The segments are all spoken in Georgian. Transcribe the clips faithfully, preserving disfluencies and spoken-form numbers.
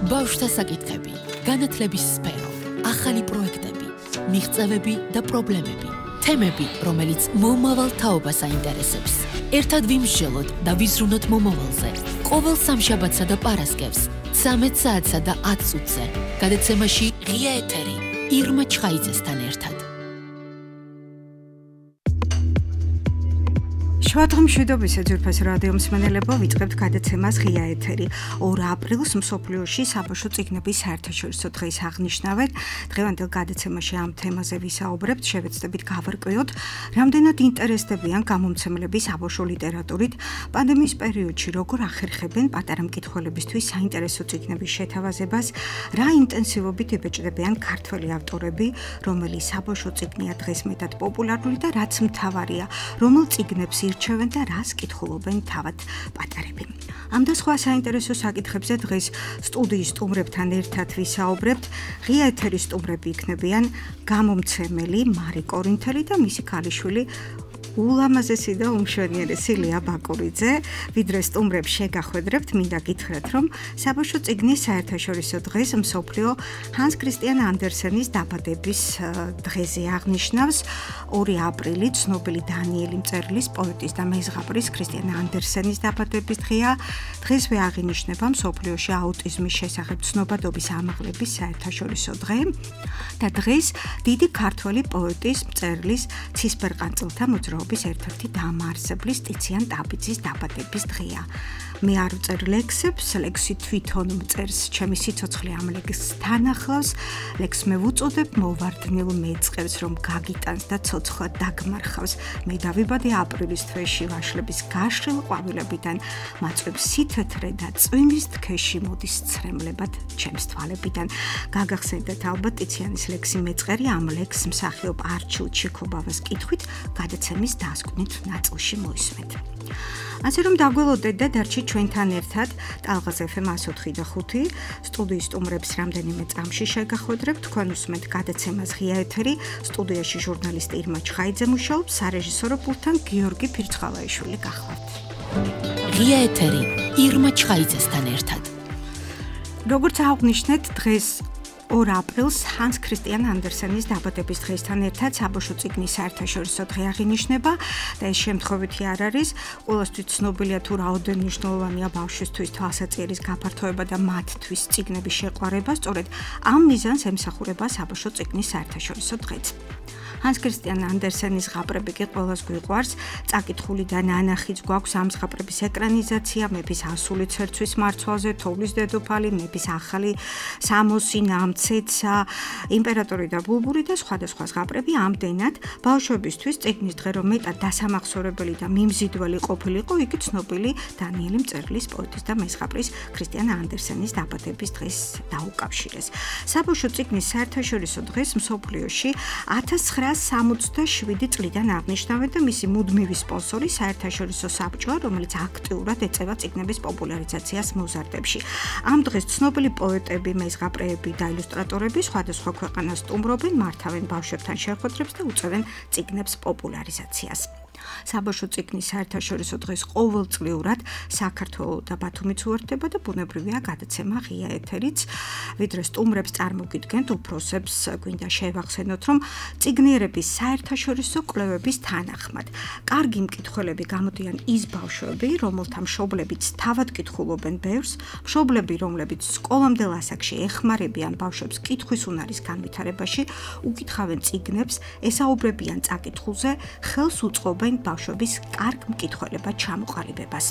ბავშვთა საკითხები, განათლების სფერო, ახალი პროექტები, მიღწევები და პრობლემები, თემები, რომელიც მომავალ თაობას აინტერესებს. ერთად ვიმსჯელოთ და ვიზრუნოთ მომავალზე. ყოველ სამშაბათსა და პარასკევს, ცამეტ საათსა და ათ წუთზე. გადაცემაში ღია ეთერი, ირმა ჩხაიძესთან ერთად. შუადღე მშვიდობის ძვირფას რადიო მსმენელებო, ვიწყებთ გადაცემას ღია ეთერი. ორ აპრილს მსოფლიოში საბავშვო წიგნების საერთაშორისო დღეს აღნიშნავენ. დღევანდელ გადაცემაში ამ თემაზე ვისაუბრებთ, შევეცდებით გავარკვიოთ, რამდენად ინტერესდებიან გამომცემლები საბავშვო ლიტერატურით, პანდემიის პერიოდში როგორ ახერხებენ პატარა მკითხველებისთვის საინტერესო წიგნების შეთავაზებას, რა ინტენსივობით იბეჭდებიან ქართველი ავტორები, რომელი საბავშვო წიგნია დღეს მეტად პოპულარული და რაც მთავარია, რომელ წიგნებს ირჩევენ და რას კითხულობენ თავად პატარები. ამ და სხვა საინტერესო საკითხებზე დღეს სტუდიის სტუმრებთან ერთად ვისაუბრებთ. ღია ეთერის სტუმრები იქნებიან გამომცემელი მარი კორინთელი და მისი ქალიშვილი ულამაზესი და უმშვენიერესი ლია ბაკურიძე. ვიდრე სტუმრებს შეგახვედრებთ, მინდა გითხრათ, რომ საბავშვო წიგნის საერთაშორისო დღეს მსოფლიო ჰანს ქრისტიან ანდერსენის დაბადების დღეზე აღნიშნავს. ორი აპრილი ცნობილი დანიელი მწერლის, პოეტის და მეზღაპრის ქრისტიან ანდერსენის დაბადების დღეა. დღესვე აღინიშნება მსოფლიოში აუტიზმის შესახებ ცნობადობის ამაღლების საერთაშორისო დღე და დღეს დიდი ქართველი პოეტის, მწერლის, ცისფერყანწელთა მოძრაობის ერთ-ერთი დამაარსებლის ტიციან ტაბიძის დაბადების დღეა. მე არ ვწერ ლექსებს, ლექსი თვითონ მწერს, ჩემი სიცოცხლე ამ ლექსთან ახლავს. ლექსს მე ვუწოდებ მოვარდნილ მეწყებს, რომ გაგიტანს და ცოცხლად დაგმარხავს. მე დავიბადე აპრილის თვეში ვაშლების გაშლილ ყვავილებიდან, მაწვებს სითეთრე და წვიმის თქეში მოდის ცრემლებად ჩემს თვალებიდან. გაგახსენდეთ ალბათ ტიციანის ლექსი მეწყერი, ამ ლექსს მსახიობ არჩილ ჩიქობავას კითხვით გადაცემის დასკვნით ნაწილში მოისმენთ. ასე რომ დაგველოდეთ და დარჩით ჩვენთან ერთად ტალღაზ ეფ ემ εκατო ოთხი და ხუთი სტუდიის სტუმრებს რამდენიმე წამში შეგახვედრებთ. თქვენ უსმენთ გადაცემას ღია ეთერი, სტუდიაში ჟურნალისტი ირმა ჩხაიძე მუშაობს, სარეჟისორო პულტთან გიორგი ფირცხალაიშვილი გახლავთ. ღია ეთერი, ირმა ჩხაიძესთან ერთად. როგორც აღვნიშნეთ, დღეს ორ აპრილს ჰანს ქრისტიან ანდერსენის დაბადების დღესთან ერთად საბავშვო წიგნის საერთაშორისო დღე აღინიშნება და ეს შემთხვევითი არ არის. ყველასთვის ცნობილია თუ რაოდენ მნიშვნელოვანია ბავშვისთვის თვალსაჩინოს გაფართოება და მათთვის წიგნების შეყვარება. სწორედ ამ მიზანს ემსახურება საბავშვო წიგნის საერთაშორისო დღეც. ჰანს ქრისტიან ანდერსენის ზღაპრები კი ყველას გვიყვარს. წაკითხული და ნანახიც გვაქვს ამ ზღაპრების ეკრანიზაცია, მეფის ასული ცერცვის მარცვალზე, თოვლის დედოფალი, მეფის ახალი სამოსი, ნამცეცა, იმპერატორი და ბულბური და სხვადასხვა ზღაპრები. ამდენად ბავშვებისთვის წიგნის დღე რომ მეტად დასამახსოვრებელი და მიმზიდველი ყოფილიყო, იგი ცნობილი დანიელი მწერლის, პოეტის და მეზღაპრის ქრისტიან ანდერსენის დაბადების დღეს დაუკავშირეს. საბავშვო წიგნის საერთაშორისო დღეს მსოფლიოში ათას ცხრაასი სამოცდაშვიდი წლიდან აღნიშნავენ და მისი მუდმივი სპონსორი საერთაშორისო საბჭოა, რომელიც აქტიურად ეწევა წიგნების პოპულარიზაციას მოზარდებში. ამ დღეს ცნობილი პოეტები, მეზღაპრეები და ილუსტრატორები სხვადასხვა ქვეყანას სტუმრობენ, მართავენ ბავშვებთან შეხვედრებს და უწევენ წიგნებს პოპულარიზაციას. საბავშვო წიგნის საერთაშორისო დღეს ყოველწლიურად საქართველო და ბათუმიც უერთდება და ბუნებრივია გადაცემა ღია ეთერიც. ვიდრე სტუმრებს წარმოგიდგენთ, უფროსებს გვინდა შევახსენოთ, რომ წიგნიერების საერთაშორისო კვლევების თანახმად კარგი მკითხველები გამოდიან ის ბავშვები, რომელთა მშობლებიც თავად კითხულობენ ბევრს, მშობლები, რომლებიც სკოლამდელ ასაკში ეხმარებიან ბავშვებს კითხვის უნარის განვითარებაში, უკითხავენ წიგნებს, ესაუბრებიან წაკითხულზე, ხელს უწყობენ ბავშვების კარგ მკითხველებად ჩამოყალიბებას.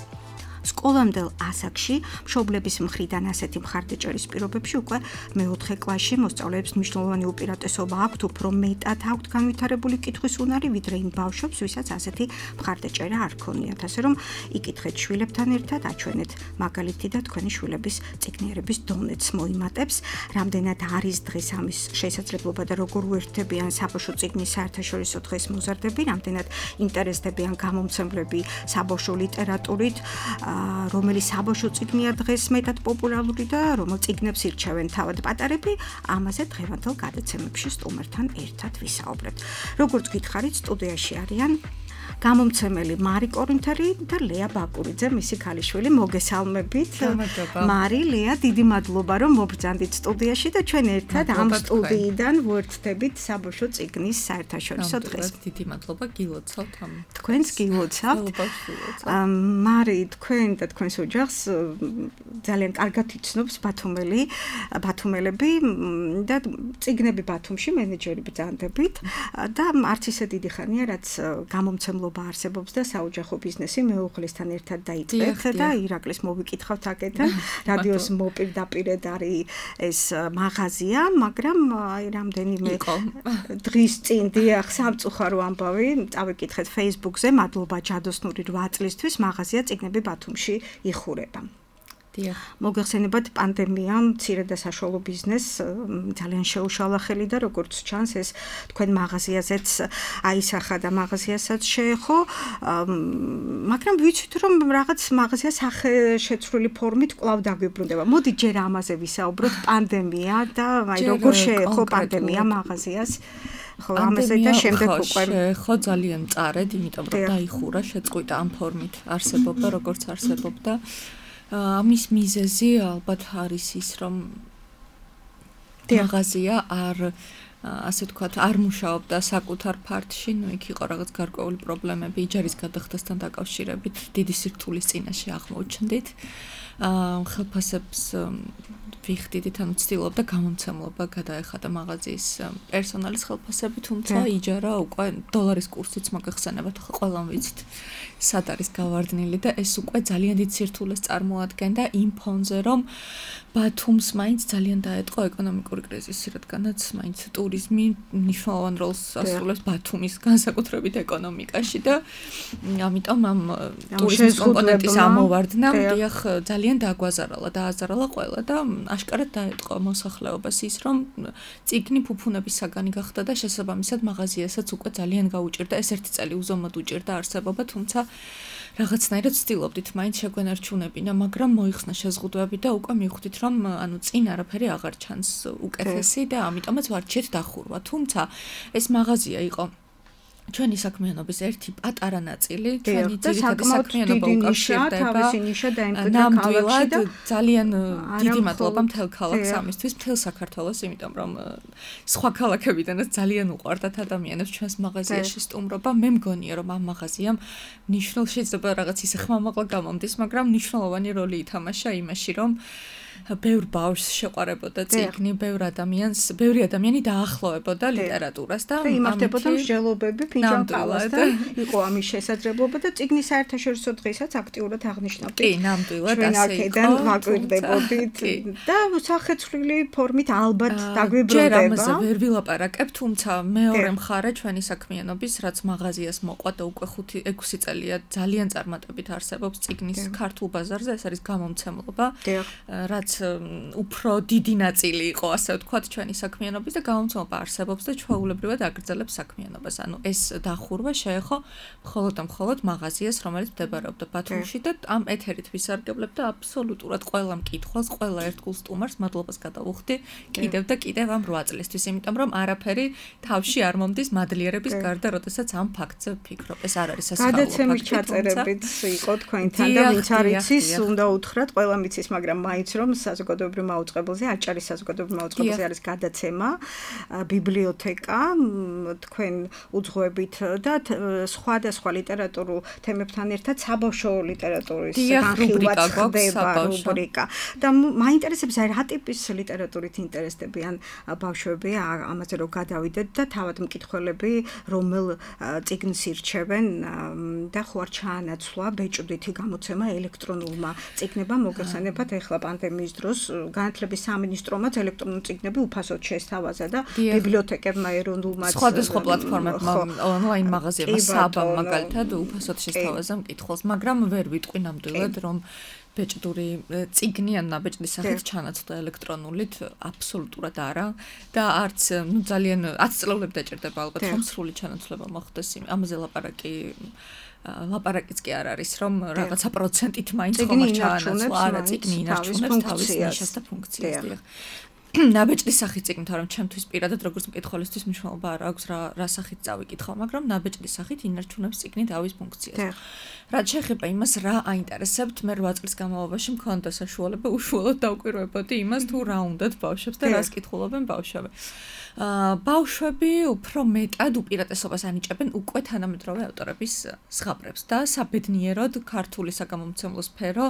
სკოლამდელ ასაკში მშობლების მხრიდან ასეთი მხარდაჭერის პირობებში უკვე მეოთხე კლასში მოსწავლეებს მნიშვნელოვანი უპირატესობა აქვთ, უფრო მეტად აქვთ განვითარებული კითხვის უნარი, ვიდრე იმ ბავშვებს, ვისაც ასეთი მხარდაჭერა არ ქონიათ. ასე რომ იკითხეთ შვილებთან ერთად, აჩვენეთ მაგალითი და თქვენი შვილების წიგნიერების დონეც მოიმატებს. რამდენად არის დღეს ამის შესაძლებლობა და როგორ უერთდებიან საბავშვო წიგნის საერთაშორისო დღეს მოზარდები, რამდენად ინტერესდებიან გამომცემლები საბავშვო ლიტერატურით, რომელი საბავშვო წიგნია დღეს მეტად პოპულარული და რომელ წიგნებს ირჩევენ თავად პატარები, ამაზე დღევანდელ გადაცემებში სტუმრთან ერთად ვისაუბრებთ. როგორც გითხარით, სტუდიაში არიან გამომცემელი მარი კორინთელი და ლეა ბაკურიძე, მისი ქალიშვილი, მოგესალმებით. მარი, ლეა, დიდი მადლობა რომ მობრძანდით სტუდიაში და ჩვენ ერთად ამ სტუდიიდან ვერთდებით საბავშვო წიგნის საერთაშორისო დღეს. დიდი მადლობა გილოცავთ ამ. თქვენს გილოცავთ. მარი, თქვენ და თქვენს ოჯახს ძალიან კარგად იცნობს ბათუმელი, ბათუმელები და წიგნები ბათუმში მენეჯერი ბრძანდებით და არც ისე დიდი ხანია, რაც გამომცემლობა არსებობს და საოჯახო ბიზნესი მეუღლესთან ერთად დაიწყეთ და ირაკლის მოვიკითხავთ აქედან. რადიოს მოპირდაპირედ არის ეს მაღაზია, მაგრამ აი რამდენიმე დღის წინ დიახ სამწუხარო ამბავი წავიკითხეთ Facebook-ზე, მადლობა ჯადოსნური რვა წლისთვის მაღაზია წიგნები ბათუმში იხურება. მოგეხსენებათ პანდემიამ მცირე და საშუალო ბიზნესს ძალიან შეუშალა ხელი და როგორც ჩანს ეს თქვენ მაღაზიაზეც აისახა და მაღაზიასაც შეეხო, მაგრამ ვიცით რომ რაღაც მაღაზია სახეშეცვლილი ფორმით კვლავ დაგვიბრუნდება. მოდი ჯერ ამაზე ვისაუბროთ, პანდემია და აი როგორ შეეხო პანდემია მაღაზიას. ხო, ამაზე და შემდეგ უკვე ხო ძალიან წარედ, იმიტომ რომ დაიხურა, შეწყვიტა ამ ფორმით არსებობდა, როგორც არსებობდა. ამის მიზეზი ალბათ არის ის, რომ მაღაზია არ ასე ვთქვათ, არ მუშაობდა საკუთარ ფართში, ну იქ იყო რაღაც გარკვეული პრობლემები იჯარის გადახდასთან დაკავშირებით, დიდი სირთულის წინაშე აღმოჩნდით. ხელფასებს ვიხდიდით, ანუ ცდილობდა გამომცემლობა გადაეხადა მაღაზიის პერსონალის ხელფასები, თუმცა იჯარა უკვე დოლარის კურსიც მოგეხსენებათ, ხო ყველამ ვიცით სად არის გავარდნილი და ეს უკვე ძალიან დიდ სირთულეს წარმოადგენდა იმ ფონზე, რომ ბათუმს მაინც ძალიან დაეტყო ეკონომიკური კრიზისი, რადგანაც მაინც ტურიზმი მნიშვნელოვან როლს ასრულებს ბათუმის განსაკუთრებით ეკონომიკაში და ამიტომ ამ ტურიზმის კომპონენტის ამოვარდნა დიახ ძალიან დაგვაზარალა, დააზარალა ყველა და აშკარად დაეტყო მოსახლეობას ის, რომ წიგნი ფუფუნების საგანი გახდა და შესაბამისად მაღაზიასაც უკვე ძალიან გაუჭირდა, ეს ერთი წელი უზომოდ უჭირდა არსებობა, თუმცა რაღაცნაირად ვცდილობდით მაინც შეგვენარჩუნებინა, მაგრამ მოიხსნა შეზღუდვები და უკვე მივხვდით, რომ ანუ წინ არაფერი აღარ ჩანს უკეთესი და ამიტომაც ვარჩიეთ დახურვა. თუმცა ეს მაღაზია იყო ჩვენი საქმიანობის ერთი პატარა ნაწილი, ჩვენი ძირითადი საქმიანობა უკავშირდება. ნამდვილად ძალიან დიდი მადლობა მთელ ქალაქს ამისთვის, მთელ საქართველოს, იმიტომ რომ სხვა ქალაქებიდანაც ძალიან უყვარდათ ადამიანებს ჩვენს მაღაზიაში სტუმრობა. მე მგონია, რომ ამ მაღაზიამ მნიშვნელოვანი შეიძლება რაღაც ისე ხმამაღლა გამომდის, მაგრამ მნიშვნელოვანი როლი ითამაშა იმაში, რომ ბევრ ბავშვს შეყვარებოდა წიგნი, ბევრ ადამიანს, ბევრი ადამიანი დაახლოვებოდა ლიტერატურას და იმართებოდა მსჯელობები ფინჯანყალას და იყო ამის შესაძლებლობა და წიგნის საერთაშორისო დღესაც აქტიურად აღნიშნავდით. კი, ნამდვილად ასე იყო. ჩვენ აქედან ვაკვირდებოდით და სახეცვლილი ფორმით ალბათ დაგვიბრუნდება. ჯერ ამაზე ვერ ვილაპარაკებ, თუმცა მეორე მხარე ჩვენი საქმიანობის, რაც მაღაზიას მოყვა და უკვე ხუთი ექვსი წელია ძალიან წარმატებით არსებობს წიგნის ქართულ ბაზარზე, ეს არის გამომცემლობა. რაც უფრო დიდი ნაწილი იყო, ასე ვთქვათ, ჩვენი საქმიანობის და გამომცემლობა არსებობს და ჩვეულებრივად აგრძელებს საქმიანობას. ანუ ეს დახურვა შეეხო მხოლოდ და მხოლოდ მაღაზიას, რომელიც მდებარეობდა ბათუმში და ამ ეთერით ვისარგებლებ და აბსოლუტურად ყველა მკითხველს, ყველა ერთგულ სტუმარს მადლობას გადავუხდი კიდევ და კიდევ ამ რვა წლისთვის, იმიტომ რომ არაფერი თავში არ მომდის მადლიერების გარდა, როდესაც ამ ფაქტზე ვფიქრობ. ეს არ არის სასწაულო ფაქტი. გადაცემის ჩაწერებით იყო თქვენთან და ვინც არ იცის, უნდა უთხრათ, ყველა მიცის, მაგრამ მაინც რომ საზოგადოებრივ მაუწყებელზე, აჭარის საზოგადოებრივ მაუწყებელზე არის გადაცემა, ბიბლიოთეკა, თქვენ უძღვებით და სხვადასხვა ლიტერატურულ თემებთან ერთად საბავშვო ლიტერატურის განხილვაც ხდება რუბრიკა. და მაინტერესებს აი რა ტიპის ლიტერატურით ინტერესდებიან ბავშვები, ამაზე რომ გადავიდეთ და თავად მკითხველები რომელ წიგნს ირჩევენ და ხო არ ჩაანაცვლა ბეჭდვითი გამოცემა ელექტრონულმა წიგნებმა, მოგეხსენებათ ახლა პანდემიის დროს განათლების სამინისტრომაც ელექტრონული წიგნები უფასოდ შესთავაზა და ბიბლიოთეკებმა ეროვნულმაც სხვადასხვა პლატფორმებმა ონლაინ მაღაზიებმა საბამ მაგალითად უფასოდ შესთავაზა მკითხველს, მაგრამ ვერ ვიტყვი ნამდვილად რომ ბეჭდური წიგნი ან ნაბეჭდის სახით ჩანაცვლა ელექტრონულით აბსოლუტურად არა და არც ნუ ძალიან ათი წლები დაჭირდება ალბათ რომ სრული ჩანაცვლება მოხდეს ამაზე ლაპარაკი ლაპარაკიც კი არ არის რომ რაღაცა პროცენტით მაინც ხომ არ ჩაანაცვლა არა წიგნი ინარჩუნებს თავის ნიშას და ფუნქციას. ნაბეჭდის სახით წიგნი, თორემ ჩემთვის პირადად როგორც მკითხველისთვის მნიშვნელობა არ აქვს რა რა სახით წავიკითხავ, მაგრამ ნაბეჭდის სახით ინარჩუნებს წიგნი თავის ფუნქციას. რაც შეეხება იმას, რა აინტერესებთ, მე რვა წლის განმავლობაში მქონდა საშუალება უშუალოდ დავკვირვებოდი იმას, თუ რა უნდათ ბავშვებს და რას კითხულობენ ბავშვები. აა ბავშვები უფრო მეტად უპირატესობას ანიჭებენ უკვე თანამედროვე ავტორების ზღაპრებს და საბედნიეროდ ქართული საგამომცემლო სფერო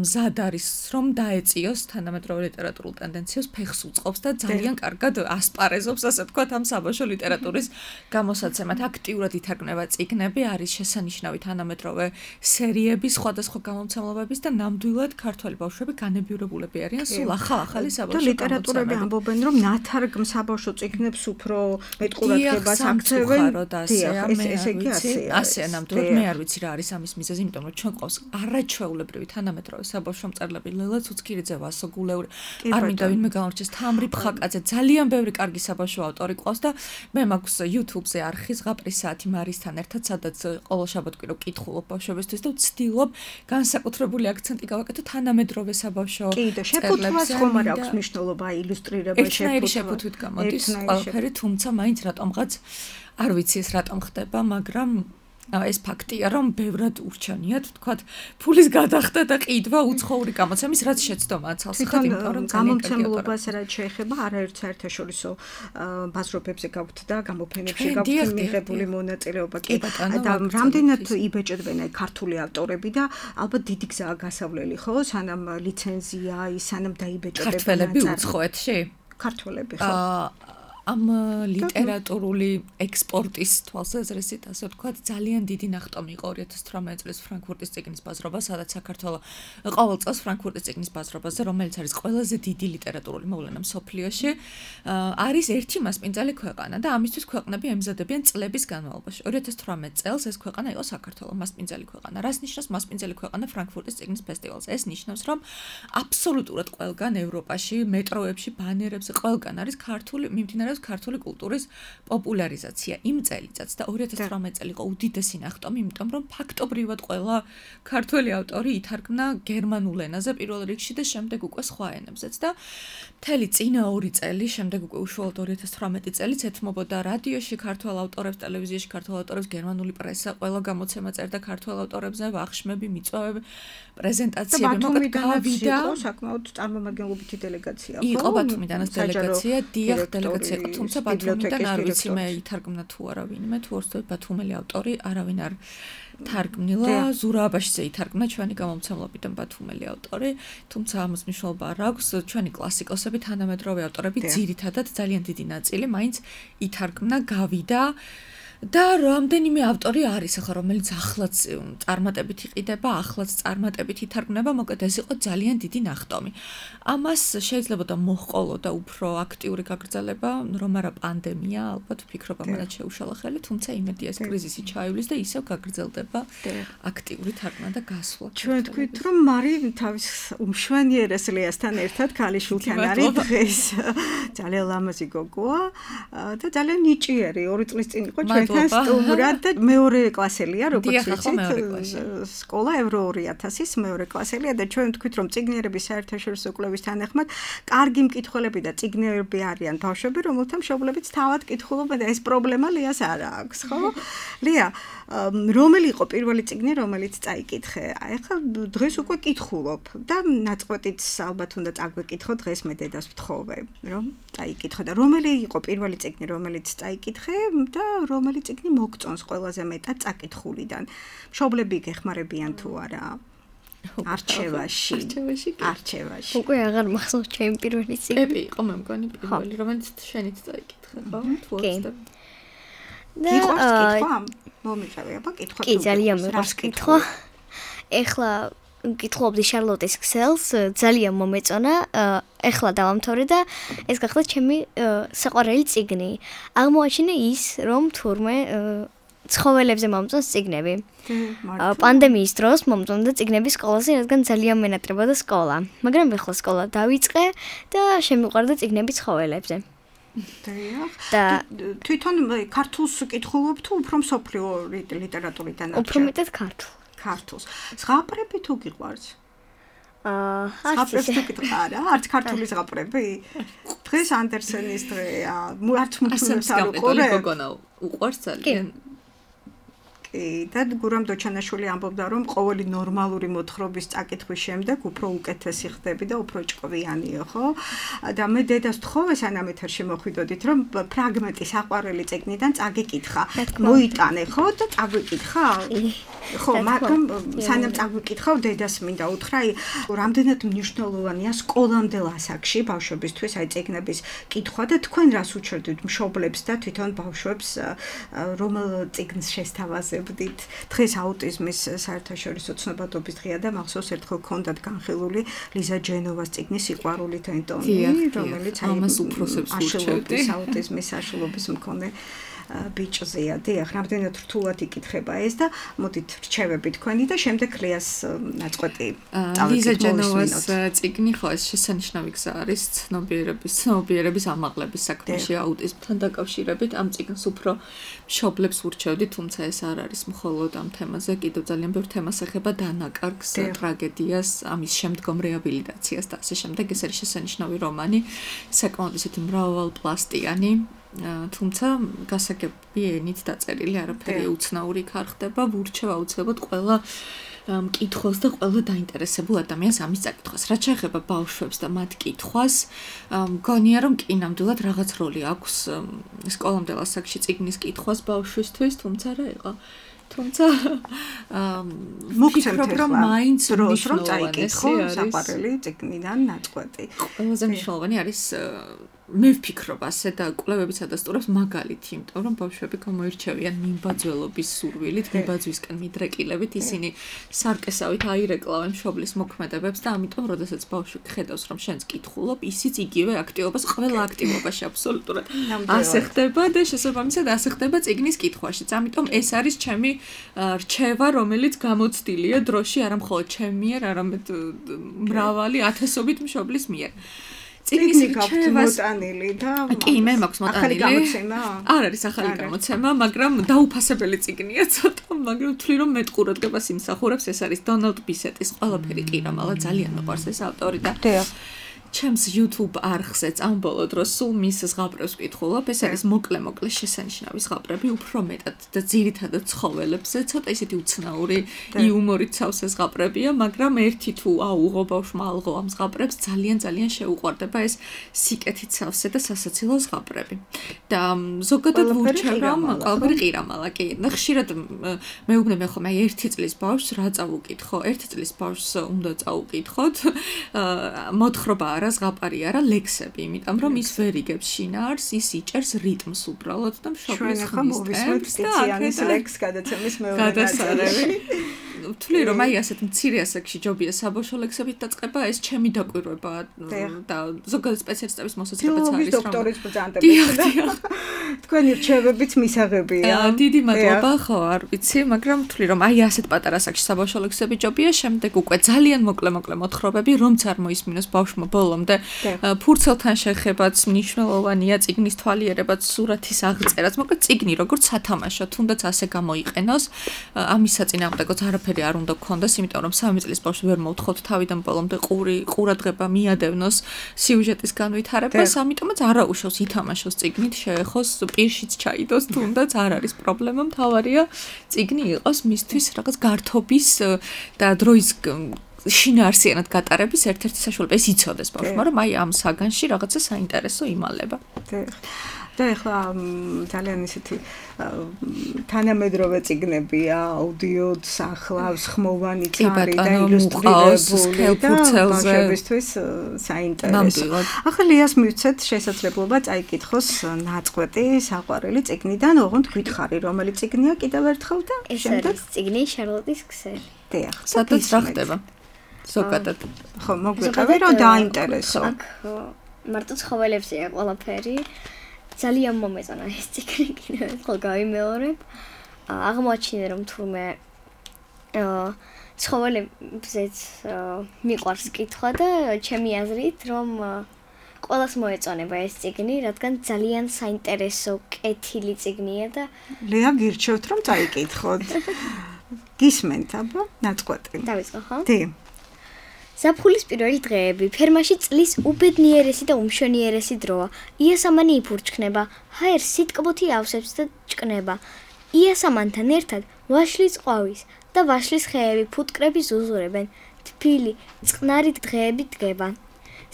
მზად არის რომ დაეწიოს თანამედროვე ლიტერატურულ ტენდენციას, ფეხს უწყობს და ძალიან კარგად ასპარეზობს, ასე ვთქვათ, ამ საბავშვო ლიტერატურის გამოსაცემად. აქტიურად ითარგმნება წიგნები, არის შესანიშნავი თანამედროვე სერიები სხვადასხვა გამომცემლობების და ნამდვილად ქართველი ბავშვები განებიურებულები არიან სულ ახალ-ახალი საბავშვო და ლიტერატურები ამბობენ, რომ ნათარგმ საბავშვო წიგნებს უფრო მეტ ყურადღებას აქცევენ. ესე იგი ასეა. ასეა ნამდვილად მე არ ვიცი რა არის ამის მიზეზი, იმიტომ რომ ჩვენ ყავს არაჩვეულებრივი თანამედროვე საბავშვო მწერლები, ლელა ცუცქირიძე, ვასო გულევრი, არ მინდა ვინმე გამორჩეს, თამრი ფხაკაძე, ძალიან ბევრი კარგი საბავშვო ავტორი ყავს და მე მაქვს YouTube-ზე არხი ზღაპრის საათი მარისთან ერთად, სადაც ყოველ შაბათ-კვირა ვკითხულობ ბავშვებისთვის და ვცდილობ განსაკუთრებული აქცენტი გავაკეთო თანამედროვე საბავშვო კი და შეფუთვას ხომ არ აქვს მნიშვნელობა ილუსტრირებაში შეფუთვა. შეფუთვით გამოდის ყველაფერი, თუმცა მაინც რატომღაც არ ვიცი ეს რატომ ხდება, მაგრამ ეს ფაქტია, რომ ბევრად ურჩევნიათ, თქვათ, ფულის გადახდა და ყიდვა უცხოური გამოცემის, რაც შეცდომაა ცალსახად, იმიტომ რომ გამომცემლობას რაც შეეხება, არაერთ საერთაშორისო ბაზრობებზე გაქვთ და გამოფენებში გაქვთ მიღებული მონაწილეობა. კი და რამდენად იბეჭდებიან აი ქართული ავტორები და ალბათ დიდი გზაა გასავლელი, ხო? სანამ ლიცენზია, ის სანამ დაიბეჭდება. ქართველები უცხოეთში? ქართველები, ხო? ამ ლიტერატურული ექსპორტის თვალსაზრისით, ასე ვთქვათ, ძალიან დიდი ნახტომი იყო ორი ათას თვრამეტი წლის ფრანკფურტის წიგნის ბაზრობა, სადაც საქართველოს ყოველ წელს ფრანკფურტის წიგნის ბაზრობაზე, რომელიც არის ყველაზე დიდი ლიტერატურული მოვლენა მსოფლიოში, არის ერთი მასპინძელი ქვეყანა და ამისთვის ქვეყნები ემზადებიან წლების განმავლობაში. ორი ათას თვრამეტი წელს ეს ქვეყანა იყო საქართველო, მასპინძელი ქვეყანა. რას ნიშნავს მასპინძელი ქვეყანა ფრანკფურტის წიგნის ფესტივალზე? ეს ნიშნავს, რომ აბსოლუტურად ყველგან ევროპაში, მეტროებში, ბანერებზე ყველგან არის ქართული მიმდინარეობს ქართული კულტურის პოპულარიზაცია იმ წელიწადს და ორი ათას თვრამეტი წელი იყო უდიდესი ნახტომი, იმიტომ რომ ფაქტობრივად ყველა ქართველი ავტორი ითარგმნა გერმანულ ენაზე პირველ რიგში და შემდეგ უკვე სხვა ენებზეც და მთელი წინა ორი წელი, შემდეგ უკვე უშუალოდ ორი ათას თვრამეტი წელიც ეთმობოდა რადიოში ქართველ ავტორებს, ტელევიზიაში ქართველ ავტორებს, გერმანული პრესა, ყველა გამოცემა წერდა ქართველ ავტორებზე, ვახშმები, მიწვევები, პრეზენტაციები, მოკლედ გავიდა საკმაოდ წარმომადგენლობითი დელეგაცია, ხო? იყო ბათუმიდანაც დელეგაცია, დიახ, დელეგაცია იყო, თუმცა ბათუმიდან არ ვიცი მე ითარგმნა თუ არა ვინმე, თუ ორსდროულად ბათუმელი ავტორი არავინ არ თარგმნილა, ზურა აბაშიძე ითარგმნა ჩვენი გამომცემლობიდან ბათუმელი ავტორი, თუმცა ამას მნიშვნელობა არ აქვს, ჩვენი კლასიკოსები, თანამედროვე ავტორები ძირითადად ძალიან დიდი ნაწილი მაინც ითარგმნა, გავიდა და რამდენიმე ავტორი არის ახლა რომელიც ახლაც წარმატებით იყიდება, ახლაც წარმატებით ითარგმნება, მოკლედ ეს იყო ძალიან დიდი ნახტომი. ამას შეიძლება და მოჰყოლო და უფრო აქტიური გაგრძელება, რომ არა პანდემია, ალბათ ვფიქრობ ამათ შეუშალა ხელი, თუმცა იმედია ეს კრიზისი ჩაივლის და ისევ გაგრძელდება აქტიური თარგმნა და გასვლა. ჩვენ თქვით რომ მარი თავის უმშვენიერეს ლეასთან ერთად ქალიშვილთან არის დღეს. ძალიან ლამაზი გოგოა და ძალიან ნიჭიერი, ორი წლის წინ იყო ჩვენ სტუმრად და მეორე კლასელია, როგორც ვიცით, სკოლა ევრო ორი ათასის მეორე კლასელია და ჩვენ თქვით, რომ წიგნიერების საერთაშორისო კვლევის თანახმად კარგი მკითხველები და წიგნიერები არიან ბავშვები, რომელთა მშობლებიც თავად კითხულობენ და ეს პრობლემა ლეას არ აქვს, ხო? ლეა, რომელი იყო პირველი წიგნი, რომელიც წაიკითხე? აი ახლა დღეს უკვე კითხულობ და ნაწყვეტიც ალბათ უნდა წაგვეკითხო დღეს მე დედას ვთხოვე, რომ წაიკითხო და რომელი იყო პირველი წიგნი, რომელიც წაიკითხე და რომელი წიგნი მოგწონს ყველაზე მეტად წაკითხულიდან. მშობლები გეხმარებიან თუ არა? არჩევაში. არჩევაში. არჩევაში. უკვე აღარ მახსოვს ჩემი პირველი წიგნი. ეპი იყო მე მგონი პირველი, რომელიც შენით წაიკითხე, ხო? თუ არა. და კითხვა? მომიყევი, აბა კითხვა. კი, ძალიან მიყვარს კითხვა. ეხლა კითხულობდი შარლოტის ქსელს, ძალიან მომეწონა. ეხლა დავამთავრე და ეს გახდა ჩემი საყვარელი წიგნი. აღმოაჩინე ის, რომ თურმე ცხოველებზე მომწონს წიგნები. პანდემიის დროს მომწონდა წიგნების სკოლაზე, რადგან ძალიან მენატრებოდა სკოლა. მაგრამ ეხლა სკოლა დავიწყე და შემიყვარდა წიგნები ცხოველებზე. და თვითონ ქართულს კითხულობ თუ უფრო მსოფლიო ლიტერატურიდან? უფრო მეტად ქართულ. ქართულს. ზღაპრები თუ გიყვარს? აა ზღაპრებს თუ კითხა არა არც ქართული ზღაპრები დღეს ანდერსენის დღეა არც მუთუნებს არ უყურებ გოგონა უყვარს ძალიან და გურამ დოჩანაშვილი ამბობდა რომ ყოველი ნორმალური მოთხრობის წაკითხვის შემდეგ უფრო უკეთესი ხდები და უფრო ჭკვიანიო ხო და მე დედას თხოვე სანამ ეთერში მოხვიდოდით რომ ფრაგმენტი საყვარელი წიგნიდან წაგიკითხა მოიტანე ხო და წაგვიკითხა ხო მაგრამ სანამ წაგვიკითხავ დედას მინდა უთხრა რამდენად მნიშვნელოვანია სკოლამდელ ასაკში ბავშვებისთვის აი წიგნების კითხვა და თქვენ რას უჩვენებთ მშობლებს და თვითონ ბავშვებს რომელ წიგნს შესთავაზებდით დღეს აუტიზმის საერთაშორისო ცნობადობის დღეა და მახსოვს ერთხელ ქონდათ განხილული ლიზა ჯენოვას წიგნის სიყვარული თენტონი რომელიც აი უფროსებს ურჩევდი აუტიზმის საშუალების მქონე ბიჭზეა დიახ რამდენად რთულად იკითხება ეს და მოდით რჩევები თქვენი და შემდეგ ლეას ნაწყვეტი წავედით ლიზა ჯენოვას წიგნი ხო ეს შესანიშნავი გზა არის ცნობიერების ცნობიერების ამაღლების საქმეში აუტიზმთან დაკავშირებით ამ წიგნს უფრო მშობლებს ურჩევდი თუმცა ეს არ არის მხოლოდ ამ თემაზე კიდევ ძალიან ბევრ თემას ეხება დანაკარგს ტრაგედიას ამის შემდგომ რეაბილიტაციას და ასე შემდეგ ეს არის შესანიშნავი რომანი საკმაოდ ისეთი მრავალპლასტიანი თუმცა გასაგები ენით დაწერილი არაფერი უცნაური არ ხდება ვურჩევ აუცილებლად ყველა მკითხველს და ყველა დაინტერესებულ ადამიანს ამის წაკითხვას რაც შეეხება ბავშვებს და მათ კითხვას მგონია რომ კი ნამდვილად რაღაც როლი აქვს სკოლამდელ ასაკში წიგნის კითხვას ბავშვისთვის თუმცა რა იყო თუმცა მოგცემთ რომ მაინც დროს რომ წაიკითხო საყვარელი წიგნიდან ნაწყვეტი ყველაზე მნიშვნელოვანი არის მე ვფიქრობ ასე და კვლევებიც ადასტურებს მაგალითი, იმიტომ რომ ბავშვები გამოირჩევიან მიმბაძველობის სურვილით, მიმბაძვისკენ მიდრეკილებით, ისინი სარკესავით აირეკლავენ მშობლის მოქმედებებს და ამიტომ, როდესაც ბავშვი ხედავს, რომ შენს კითხულობ, ისიც იგივე აქტივობას, ყველა აქტივობაში აბსოლუტურად ასე ხდება და შესაბამისად ასე ხდება წიგნის კითხვაშიც. ამიტომ ეს არის ჩემი რჩევა, რომელიც გამოცდილია დროში, არა მხოლოდ ჩემი მიერ, არამედ მრავალი ათასობით მშობლის მიერ. წიგნის მოტანილი და კი მე მაქვს მოტანილი ახალი გამოცემა არ არის ახალი გამოცემა მაგრამ დაუფასებელი წიგნია ცოტა მაგრამ ვთვლი რომ მეტყურადღებას იმსახურებს ეს არის დონალდ ბისეტის ყველაფერი ყირამალა ძალიან მოყვარს ეს ავტორი და ჩემს YouTube არხზეც ამ ბოლო დროს სულ მის ზღაპრებს ვკითხულობ ეს არის მოკლე-მოკლე შესანიშნავი ზღაპრები უფრო მეტად და ძირითადად ცხოველებზე ცოტა ისეთი უცნაური იუმორით სავსე ზღაპრებია მაგრამ ერთი თუ აუღო ბავშვმა ალღო ამ ზღაპრებს ძალიან ძალიან შეუყვარდება ეს სიკეთით სავსე და სასაცილო ზღაპრები და ზოგადად ვურჩევ რომ ყველაფერი ყირამალა კი ხშირად მეუბნები ხოლმე აი ერთი წლის ბავშვს რა წავუკითხო ერთი წლის ბავშვს უნდა წაუკითხოთ მოთხრობა არა ზღაპარი არა ლექსები, იმიტომ რომ ის ვერ იგებს შინაარს, ის იჭერს რიტმს უბრალოდ და მშობლის ხმის ტემპს და ლექს გადაცემის მეორე ვთვლი რომ აი ასეთ მცირე ასაკში ჯობია საბავშვო ლექსებით დაწყება, ეს ჩემი დაკვირვება და ზოგადად სპეციალისტების მოსაზრებაც არის რომ დოქტორის ბრძანდებით და თქვენი რჩევებიც მისაღებია. დიდი მადლობა, ხო, არ ვიცი, მაგრამ ვთვლი რომ აი ასეთ პატარა ასაკში საბავშვო ლექსები ჯობია, შემდეგ უკვე ძალიან მოკლე-მოკლე მოთხრობები, რომც არ მოისმინოს ბავშვმა ბოლომდე ფურცელთან შეხებაც მნიშვნელოვანია, წიგნის თვალიერებაც, სურათის აღწერაც, მოკლედ წიგნი როგორც სათამაშო, თუნდაც ასე გამოიყენოს, ამის საწინააღმდეგოც არაფერი არ უნდა გქონდეს, იმიტომ რომ სამი წლის ბავშვს ვერ მოვთხოვთ თავიდან ბოლომდე ყური ყურადღება მიადევნოს სიუჟეტის განვითარებას, ამიტომაც არაუშავს ითამაშოს წიგნით, შეეხოს პირშიც ჩაიდოს, თუნდაც არ არის პრობლემა, მთავარია წიგნი იყოს მისთვის რაღაც გართობის და დროის შინაარსიანად გატარების ერთ-ერთი საშუალება ეს იცოდეს ბავშვმა, რომ აი ამ საგანში რაღაცა საინტერესო იმალება. და ეხლა ძალიან ისეთი თანამედროვე წიგნებია, აუდიოდ სახლავს, ხმოვანი წარი და ილუსტრირებული და ბავშვებისთვის საინტერესო. ახლა ლეას მივცეთ შესაძლებლობა წაიკითხოს ნაწყვეტი საყვარელი წიგნიდან, ოღონდ გითხარი, რომელი წიგნია კიდევ ერთხელ და შემდეგ წიგნი შარლოტის ქსელი. დიახ, სადაც რა ხდება? ზოგადად. ხო, მოგვიყევი რომ დაინტერესო. აქ მარტო ცხოველებზეა ყველაფერი. ძალიან მომეწონა ეს წიგნი, კიდევ ერთხელ გავიმეორებ. აღმოაჩინე რომ თურმე ცხოველებზეც მიყვარს კითხვა და ჩემი აზრით რომ ყველას მოეწონება ეს წიგნი, რადგან ძალიან საინტერესო კეთილი წიგნია და ლეა გირჩევთ რომ წაიკითხოთ. გისმენთ აბა ნაწყვეტი. დავიწყო ხო? დი. ზაფხულის პირველი დღეები, ფერმაში წლის უბედნიერესი და უმშვენიერესი დროა. იასამანი იფურჩქნება, ჰაერს სიტკბოთი ავსებს და ჭკნება. იასამანთან ერთად ვაშლის ყვავის და ვაშლის ხეები ფუტკრები ზუზურებენ. თბილი, წყნარი დღეები დგება.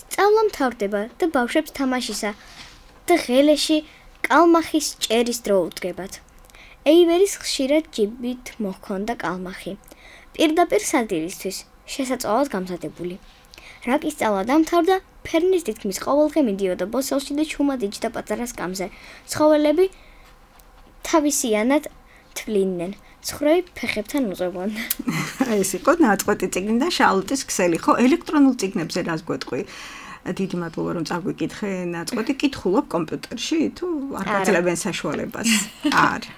სწავლა მთავრდება და ბავშვებს თამაშისა და ღელეში კალმახის ჭერის დრო უდგებათ. ეივერის ხშირად ჯიბით მოჰქონდა კალმახი. პირდაპირ სადილისთვის შესაძლოა გამზადებული. რაკის სწავლა დამთავრდა, ფერნის თითქმის ყოველდღე მიდიოდა ბოსელში და ჩუმად იჯდა პატარა სკამზე. ცხოველები თავისიანად თვლიდნენ. ცხრები ფეხებთან უძღვებოდნენ. ეს იყო ნაწყვეტი წიგნი და შალოტის ქსელი. ხო, ელექტრონულ წიგნებზე რას გვეტყვი? დიდი მადლობა რომ წაგვიკითხე ნაწყვეტი. კითხულობ კომპიუტერში თუ არ გაძლევენ საშუალებას? არა.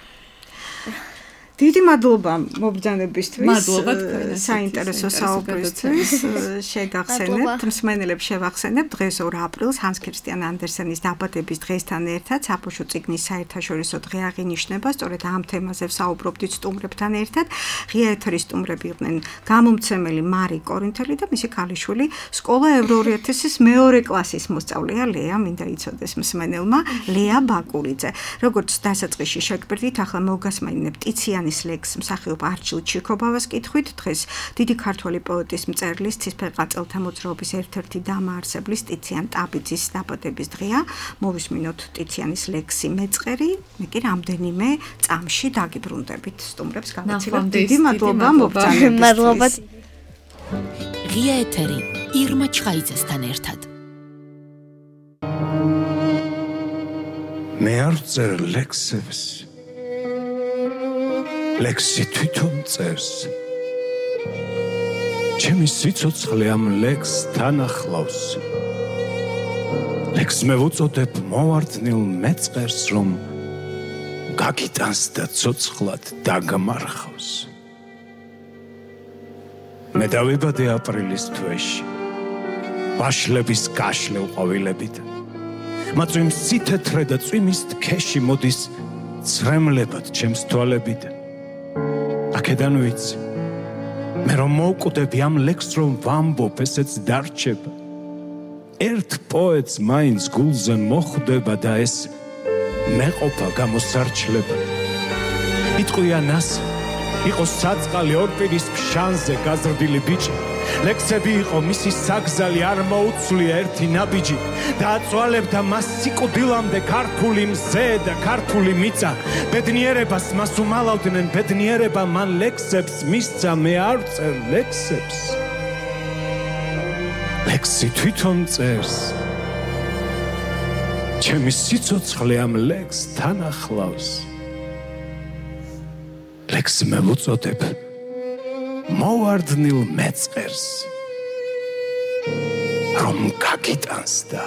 დიდი მადლობა მობრძანებისთვის. მადლობა თქვენ. საინტერესო საუბრისთვის. შეგახსენებთ, მსმენელებს შევახსენებთ, დღეს ორ აპრილს ჰანს ქრისტიან ანდერსენის დაბადების დღესთან ერთად საბავშვო წიგნის საერთაშორისო დღე აღინიშნება. სწორედ ამ თემაზე ვსაუბრობდით სტუმრებთან ერთად. ღია ეთერის სტუმრები იყვნენ გამომცემელი მარი კორინთელი და მისი ქალიშვილი, სკოლა ევრო ორი ათასის მეორე კლასის მოსწავლეა ლეა, მინდა იცოდეს მსმენელმა, ლეა ბაკურიძე. როგორც დასაწყისში შეგბერდით, ახლა მოგასმენინებთ ტიციანის ლექს მსახიობ არჩილ ჩიქობავას კითხვით. დღეს დიდი ქართველი პოეტის მწერლის ცისფერყანწელთა მოძრაობის ერთ-ერთი დამაარსებლის ტიციან ტაბიძის დაბადების დღეა. მოვისმინოთ ტიციანის ლექსი მეწყერი, მე კი რამდენიმე წამში დაგიბრუნდებით. სტუმრებს გავაცილებ. დიდი მადლობა მობრძანებისთვის. მადლობა. ღია ეთერი ირმა ჩხაიძესთან ერთად. მე არ ვწერ ლექსებს. ლექსი თვითონ წერს. ჩემი სიცოცხლე ამ ლექსთან ახლავს. ლექსს მე ვუწოდებ მოვარდნილ მეწყერს, რომ გაგიტანს და ცოცხლად დაგმარხავს. მე დავიბადე აპრილის თვეში, ვაშლების გაშლილ ყვავილებით. მაწვიმ სითეთრე და წვიმის თქეში მოდის ცრემლებად ჩემს თვალებიდან. აქედან ვიცი, მე რომ მოვკვდები ამ ლექსს რომ ვამბობ, ესეც დარჩება. ერთ პოეტს მაინც გულზე მოხვდება და ეს მეყოფა გამოსარჩლება. იტყვია ნასი, იყო საწყალი ორპირის ფშანზე გაზრდილი ბიჭი. ლექსები იყო მისი საგზალი, არ მოუცვლია ერთი ნაბიჯი. დააწვალებდა მას სიკვდილამდე ქართული მზე და ქართული მიწა. ბედნიერებას მას უმალავდნენ, ბედნიერება მან ლექსებს მისცა, მე არ ვწერ ლექსებს. ლექსი თვითონ წერს. ჩემი სიცოცხლე ამ ლექსთან ახლავს. ლექსს მე ვუწოდებ მოვარდნილ მეწყერს, რომ გაგიტანს და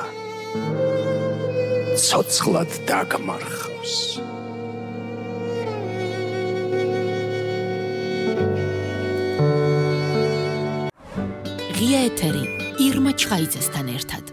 ცოცხლად დაგმარხავს. ღია ეთერი ირმა ჩხაიძესთან ერთად.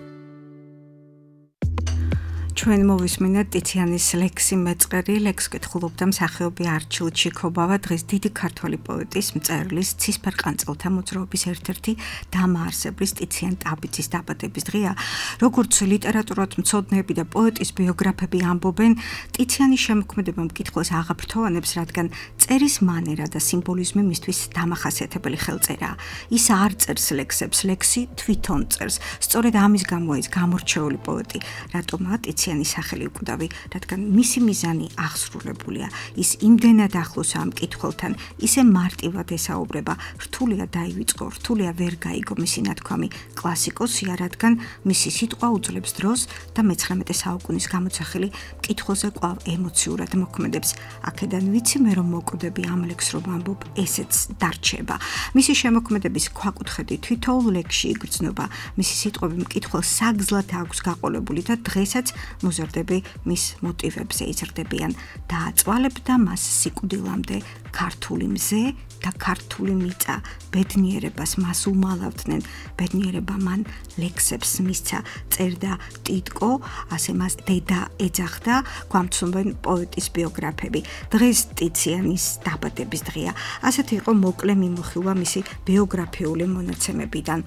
ჩვენ მოვისმინეთ ტიციანის ლექსი მეწყერი. ლექსს კითხულობდა მსახიობი არჩილ ჩიქობავა. დღეს დიდი ქართველი პოეტის მწერლის ცისფერყანწელთა მოძრაობის ერთ-ერთი დამაარსებლის ტიციან ტაბიძის დაბადების დღეა. როგორც ლიტერატურად მცოდნეები და პოეტის ბიოგრაფები ამბობენ, ტიციანის შემოქმედება მკითხველს აღაფრთოვანებს, რადგან წერის მანერა და სიმბოლიზმი მისთვის დამახასიათებელი ხელწერაა. ის არ წერს ლექსებს, ლექსი თვითონ წერს. სწორედ ამის გამოა ის გამორჩეული პოეტი, რატომაა ტიციანი სახელი უკვდავი, რადგან მისი მიზანი აღსრულებულია. ის იმდენად ახლოს ამ მკითხველთან, ისე მარტივად ესაუბრება, რთულია დაივიწყო, რთულია ვერ გაიგო მისი ნათქვამი. კლასიკოსია, რადგან მისი სიტყვა უძლებს დროს და მეცხრამეტე საუკუნის გამოცახილი მკითხველზე კვლავ ემოციურად მოქმედებს. აქედან ვიცი მე რომ მოვკვდები ამ ლექსს რომ ამბობ, ესეც დარჩება. მისი შემოქმედების ქვაკუთხედი თითოეულ ლექსში იგრძნობა. მისი სიტყვები მკითხველს საგზლად აქვს გაყოლებული და დღესაც მოზარდები მის მოტივებზე იზრდებიან. დააწვალებ და მას სიკვდილამდე ქართული მზე და ქართული მიწა ბედნიერებას მას უმალავდნენ. ბედნიერება მან ლექსებს მისცა, წერდა ტიტკო, ასე მას დედა ეძახდა, გვამცნობენ პოეტის ბიოგრაფები. დღეს ტიციანის დაბადების დღეა. ასეთი იყო მოკლე მიმოხილვა მისი ბიოგრაფიული მონაცემებიდან.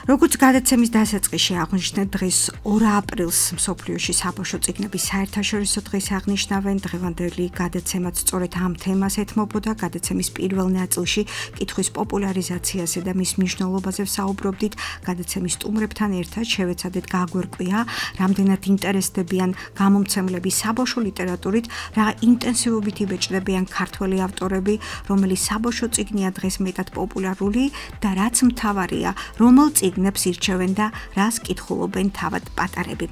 როგორც გადაცემის დასაწყისში აღვნიშნეთ, დღეს ორ აპრილს მსოფლიოში საბავშვო წიგნების საერთაშორისო დღეს აღნიშნავენ. დღევანდელი გადაცემაც სწორედ ამ თემას ეთმობოდა. გადაცემის პირველ ნაწილში კითხვის პოპულარიზაციაზე და მის მნიშვნელობაზე ვსაუბრობდით. გადაცემის სტუმრებთან ერთად შევეცადეთ გაგვერკვია, რამდენად ინტერესდებიან გამომცემლები საბავშვო ლიტერატურით, რა ინტენსივობით იბეჭდებიან ქართველი ავტორები, რომელი საბავშვო წიგნია დღეს მეტად პოპულარული და რაც მთავარია, რომელ წიგნებს ირჩევენ და რას კითხულობენ თავად პატარები.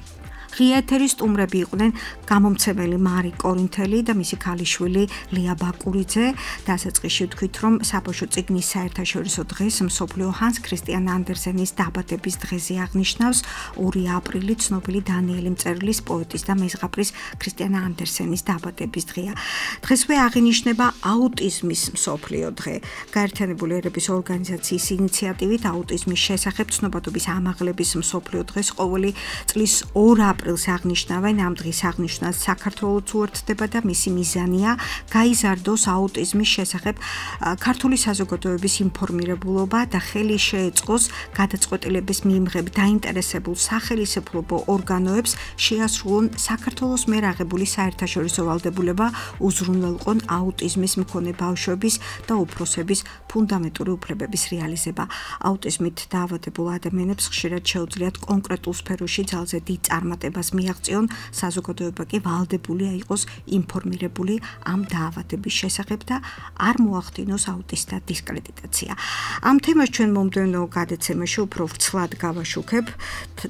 ღია ეთერის სტუმრები იყვნენ გამომცემელი მარი კორინთელი და მისი ქალიშვილი ლია ბაკურიძე. დასაწყისში ვთქვით, რომ საბავშვო წიგნის საერთაშორისო დღეს მსოფლიო ჰანს ქრისტიან ანდერსენის დაბადების დღეზე აღნიშნავს. ორი აპრილი ცნობილი დანიელი მწერლის, პოეტის და მეზღაპრის ქრისტიან ანდერსენის დაბადების დღეა. დღესვე აღინიშნება აუტიზმის მსოფლიო დღე. გაერთიანებული ერების ორგანიზაციის ინიციატივით აუტიზმის შესახებ ცნობადობის ამაღლების მსოფლიო დღეს ყოველი წლის ორ აპრილს აღნიშნავენ. ამ დღის აღნიშვნას საქართველოც უერთდება და მისი მიზანია გაიზარდოს აუტიზმის შესახებ ქართული საზოგადოების ინფორმირებულობა და ხელი შეეწყოს გადაწყვეტილების მიმღებ დაინტერესებულ სახელმწიფო ორგანოებს შეასრულონ საქართველოს მიერ აღებული საერთაშორისო ვალდებულება უზრუნველყონ აუტიზმის მქონე ბავშვების და უფროსების ფუნდამენტური უფლებების რეალიზება. აუტიზმით დაავადებულ ადამიანებს ხშირად შეუძლიათ კონკრეტულ სფეროში ძალზე დიდ წარმატებას მიაღწიონ, საზოგადოება კი ვალდებულია იყოს ინფორმირებული ამ დაავადების შესახებ და არ მოახდინოს აუტისტთა დისკრედიტაცია. ამ თემას ჩვენ მომდევნო გადაცემაში უფრო ვრცლად გავაშუქებ.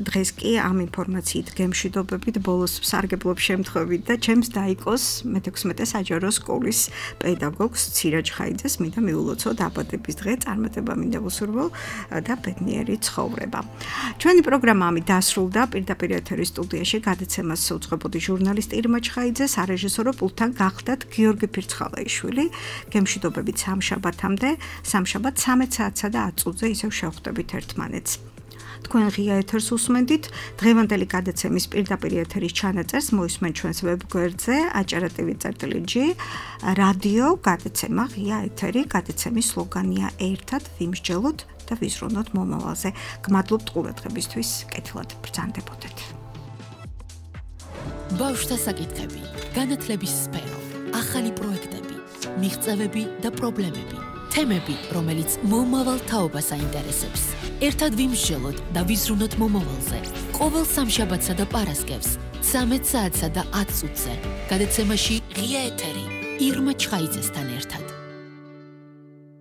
დღეს კი ამ ინფორმაციით გემშვიდობებით, ბოლოს ვსარგებლობ შემთხვევით და ჩემს დაიკოს მეთექვსმეტე საჯარო სკოლის პედაგოგს ცირაჯ ხაიძეს მინდა მიულოცო დაბადების დღე, წარმატება მინდა ვუსურვო და ბედნიერი ცხოვრება. ჩვენი პროგრამა ამით დასრულდა. პირდაპირ ეთერის სტუდიაში გადაცემას უძღვებოდი ჟურნალისტი ირმა ჩხაიძე, სარეჟისორო პულტთან გახდათ გიორგი ფირცხალაიშვილი. გემშვიდობებით სამშაბათამდე, სამშაბათ ცამეტ საათსა და ათ წუთზე ისევ შევხვდებით ერთმანეთს. თქვენ ღია ეთერს უსმენდით. დღევანდელი გადაცემის პირდაპირ ეთერის ჩანაწერს მოისმენთ ჩვენს ვებგვერდზე acara.tv.gr რადიო გადაცემა ღია ეთერი. გადაცემის სლოგანია ერთად ვიმსჯელოთ და ვიზრუნოთ მომავალზე. გმადლობთ ყურადღებისთვის. კეთილად ბრძანდებოდეთ. ბავშვთა საკითხები, განათლების სფერო, ახალი პროექტები, მიღწევები და პრობლემები, თემები, რომელიც მომავალ თაობას აინტერესებს. ერთად ვიმსჯელოთ და ვიზრუნოთ მომავალზე. ყოველ სამშაბათსა და პარასკევს, ცამეტ საათსა და ათ წუთზე. გადაცემაში ღია ეთერი ირმა ჩხაიძესთან ერთად.